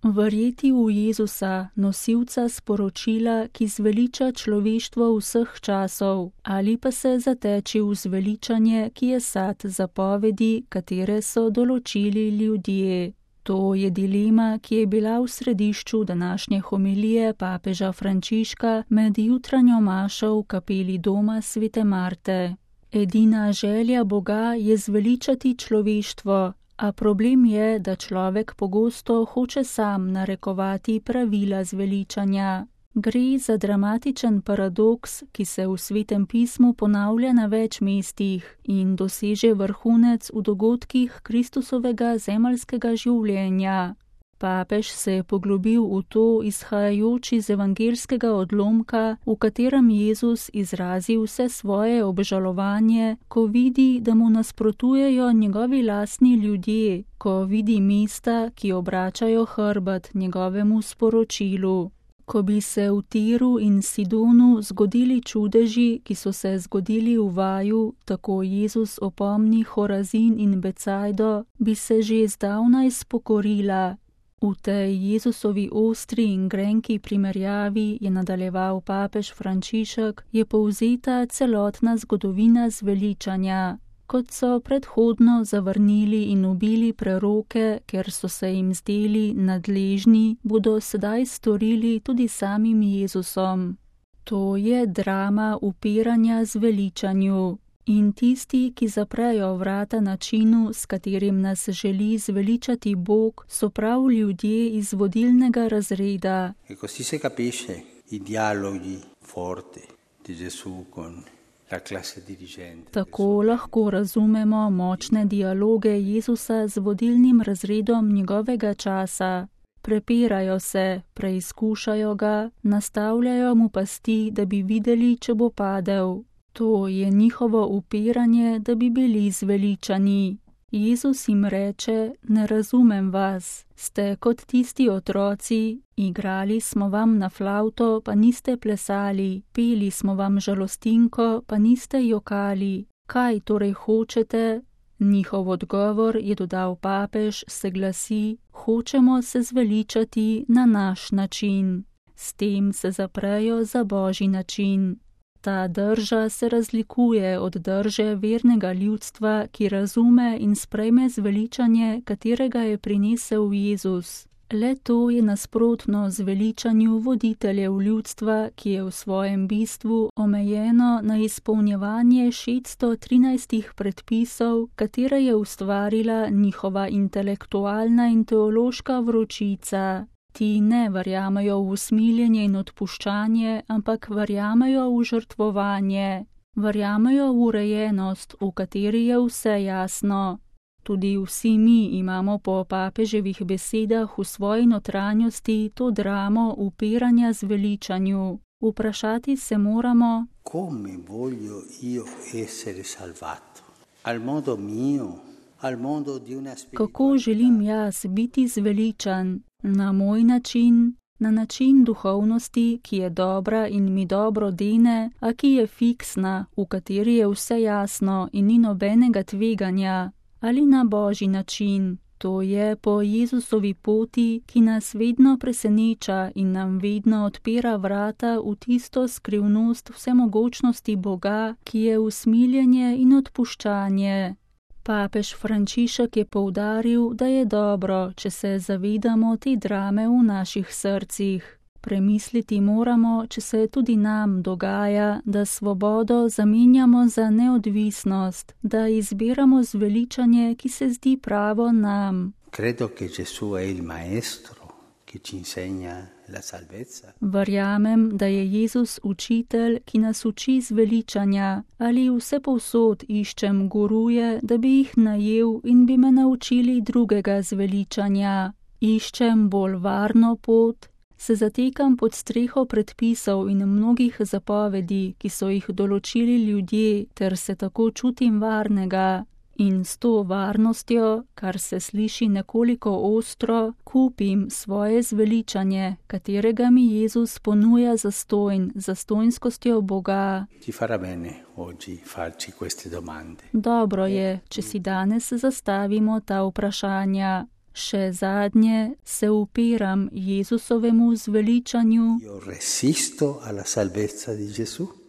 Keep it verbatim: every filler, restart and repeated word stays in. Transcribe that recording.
Verjeti v Jezusa, nosilca sporočila, ki zveliča človeštvo vseh časov, ali pa se zateči v zveličanje, ki je sad zapovedi, katere so določili ljudje. To je dilema, ki je bila v središču današnje homilije papeža Frančiška med jutranjo mašo v kapeli doma svete Marte. Edina želja Boga je zveličati človeštvo, a problem je, da človek pogosto hoče sam narekovati pravila zveličanja. Gre za dramatičen paradoks, ki se v Svetem pismu ponavlja na več mestih in doseže vrhunec v dogodkih Kristusovega zemeljskega življenja. Papež se je poglobil v to izhajajoč iz evangelskega odlomka, v katerem Jezus izrazi vse svoje obžalovanje, ko vidi, da mu nasprotujejo njegovi lastni ljudje, ko vidi mesta, ki obračajo hrbet njegovemu sporočilu. Ko bi se v Tiru in Sidonu zgodili čudeži, ki so se zgodili v vaju, tako Jezus opomni Horazin in Becajdo, bi se že zdavnaj spokorila. V tej Jezusovi ostri in grenki primerjavi, je nadaljeval papež Frančišek, je povzeta celotna zgodovina zveličanja. Kot so predhodno zavrnili in ubili preroke, ker so se jim zdeli nadležni, bodo sedaj storili tudi samim Jezusom. To je drama upiranja zveličanju. In tisti, ki zaprejo vrata načinu, s katerim nas želi zveličati Bog, so prav ljudje iz vodilnega razreda. E così si capisce i dialoghi forti di Gesù con la classe dirigente. Tako lahko razumemo močne dialoge Jezusa z vodilnim razredom njegovega časa. Prepirajo se, preizkušajo ga, nastavljajo mu pasti, da bi videli, če bo padel. To je njihovo upiranje, da bi bili zveličani. Jezus jim reče, ne razumem vas, ste kot tisti otroci, igrali smo vam na flavto, pa niste plesali, peli smo vam žalostinko, pa niste jokali. Kaj torej hočete? Njihov odgovor, je dodal papež, se glasi, hočemo se zveličati na naš način. S tem se zaprejo za Božji način. Ta drža se razlikuje od drže vernega ljudstva, ki razume in sprejme zveličanje, katerega je prinesel Jezus. Le to je nasprotno zveličanju voditeljev ljudstva, ki je v svojem bistvu omejeno na izpolnjevanje šeststo trinajstih predpisov, katere je ustvarila njihova intelektualna in teološka vročica. Ti ne verjamejo v usmiljenje in odpuščanje, ampak verjamejo v žrtvovanje. Verjamejo v urejenost, v kateri je vse jasno. Tudi vsi mi imamo po papeževih besedah v svoji notranjosti to dramo upiranja zveličanju. Vprašati se moramo, come voglio io essere salvato? Al modo mio? Al modo di una spiritualità? Kako želim jaz biti zveličan? Na moj način, na način duhovnosti, ki je dobra in mi dobro dene, a ki je fiksna, v kateri je vse jasno in ni nobenega tveganja, ali na Božji način, to je po Jezusovi poti, ki nas vedno preseneča in nam vedno odpira vrata v tisto skrivnost vsemogočnosti Boga, ki je usmiljenje in odpuščanje. Papež Frančišek je poudaril, da je dobro, če se zavedamo te drame v naših srcih. Premisliti moramo, če se tudi nam dogaja, da svobodo zamenjamo za neodvisnost, da izbiramo zveličanje, ki se zdi pravo nam. Credo che Gesù è il maestro che ci insegna la salvezza. Verjamem, da je Jezus učitelj, ki nas uči zveličanja, ali vse povsod iščem guruje, da bi jih najel in bi me naučili drugega zveličanja. Iščem bolj varno pot, se zatekam pod streho predpisov in mnogih zapovedi, ki so jih določili ljudje, ter se tako čutim varnega. In s to varnostjo, kar se sliši nekoliko ostro, kupim svoje zveličanje, katerega mi Jezus ponuja zastojn, zastojnskostjo Boga. Ci farà bene oggi farci queste domande. Dobro je, če si danes zastavimo ta vprašanja. Še zadnje se upiram Jezusovemu zveličanju. Io resisto alla salvezza di Gesù.